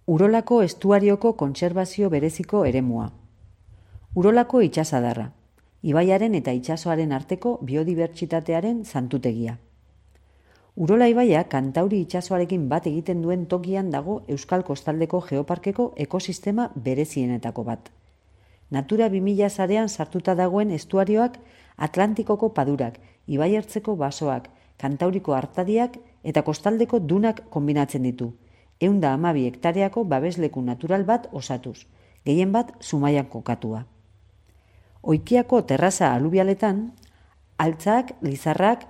Urolako estuarioko kontserbazio bereziko eremua. Urolako itsasadarra, ibaiaren eta itsasoaren arteko biodibertsitatearen santutegia. Urola ibaia Kantauri itsasoarekin bat egiten duen tokian dago Euskal Kostaldeko Geoparkeko ekosistema berezienetako bat. Natura 2000 sarean sartuta dagoen estuarioak Atlantikoko padurak, ibaiertzeko basoak, Kantauriko artadiak eta kostaldeko dunak konbinatzen ditu. 112 hektareako babesleku natural bat osatuz, gehien bat Zumaian kokatua. Oikiako terraza alubialetan, altzak, lizarrak,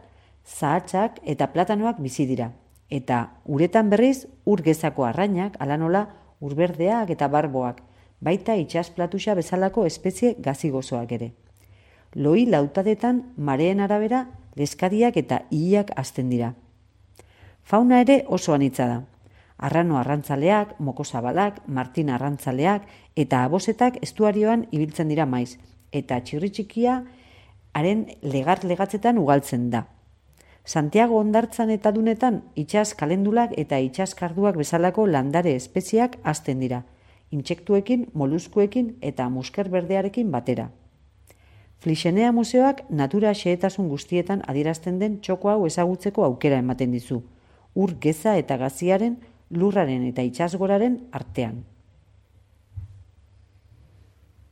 zahatzak eta platanoak bizi dira, eta uretan berriz ur-gezako arrainak, hala nola urberdeak eta barboak, baita itsasplatuxa bezalako espezie gazigozoak ere. Loi lautadetan mareen arabera leskariak eta ihiak hazten dira. Fauna ere oso anitza da. Arrano arrantzaleak, mokozabalak, martin arrantzaleak eta abosetak estuarioan ibiltzen dira maiz, eta txirritxikia haren legatzetan ugaltzen da. Santiago hondartzan eta dunetan itsas kalendulak eta itsas karduak bezalako landare espeziak hazten dira, intsektuekin, moluskuekin eta musker berdearekin batera. Flixenea museoak natura xehetasun guztietan adierazten den txoko hau ezagutzeko aukera ematen dizu, ur geza eta gaziaren, lurraren eta itsasgoraren artean.